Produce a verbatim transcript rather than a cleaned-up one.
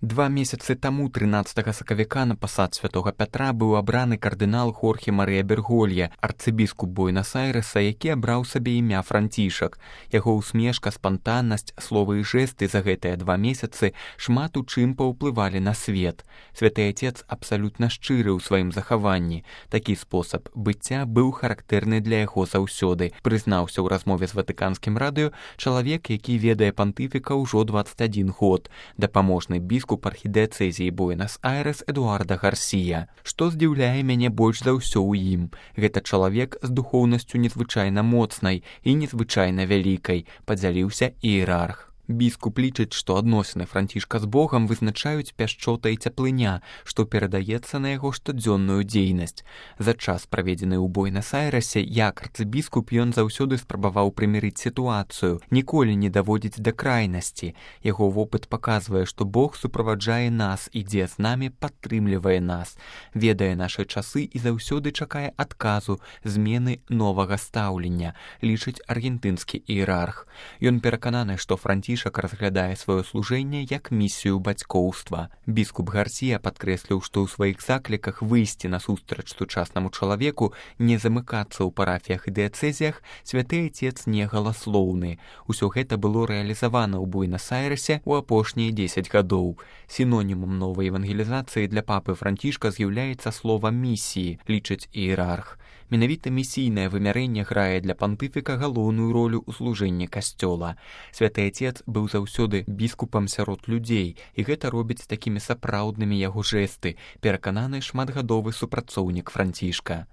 Два месяцы таму трынаццатага сакавіка на пасад святога Пятра быў абраны кардынал Хорхе Марыя Берголье, арцыбіскуп Буэнас-Айрэса, які абраў сабе імя Францішак. Яго усмешка, спантаннасць, словы і жэсты за гэтыя два месяцы шмат у чым паўплывалі на свет. Святы Отец абсалютна шчыры ў сваім захаванні. Такі спосаб быцця быў характэрны для яго заўсёды, прызнаўся ў размове з Ватыканскім радыё чалавек, які ведае пантыфіка ўжо дваццаць адзін год, дапаможны біскуп архідыцэзіі Буэнас-Айрэс Эдуарда Гарсія. Што здзіўляе мяне больш за ўсё ў ім? Гэта чалавек з духоўнасцю незвычайна моцнай і незвычайна вялікай, падзяліўся іерарх. Біскуп лічыць, што адносіны Францішка з Богам вызначаюць пяшчота і цяплыня, што перадаецца на яго штодзённую дзейнасць. За час, праведзены ў Буэнас-Айрэсе, як арцыбіскуп ён заўсёды спрабаваў прымірыць сітуацыю, ніколі не даводзіць да крайнасці. Яго вопыт паказвае, што Бог суправаджае нас, ідзе з намі, падтрымлівае нас, ведае нашы часы і заўсёды чакае адказу, змены новага стаўлення, лічыць аргентынскі іерарх. Ён перакананы, што Францішак разглядае сваё служэнне як місію бацькоўства. Біскуп Гарсія падкрэсліў, што ў сваіх закліках выйсці насустрач сучаснаму чалавеку, не замыкацца ў парафіях і дыяцэзіях, святы Отец не галаслоўны. Усё гэта было рэалізавана ў Буэнас-Айрэсе ў апошнія дзесяць гадоў. Сінонімам новай евангелізацыі для папы Францішка з'яўляецца слова «місіі», лічыць іерарх. Менавіта місійнае вымярэнне грае для пантыфіка галоўную ролю ў служэнні касцёла. Святы Отец быў заўсёды біскупам сярод людзей, і гэта робіць такімі сапраўднымі яго жэсты, перакананы шматгадовы супрацоўнік Францішка.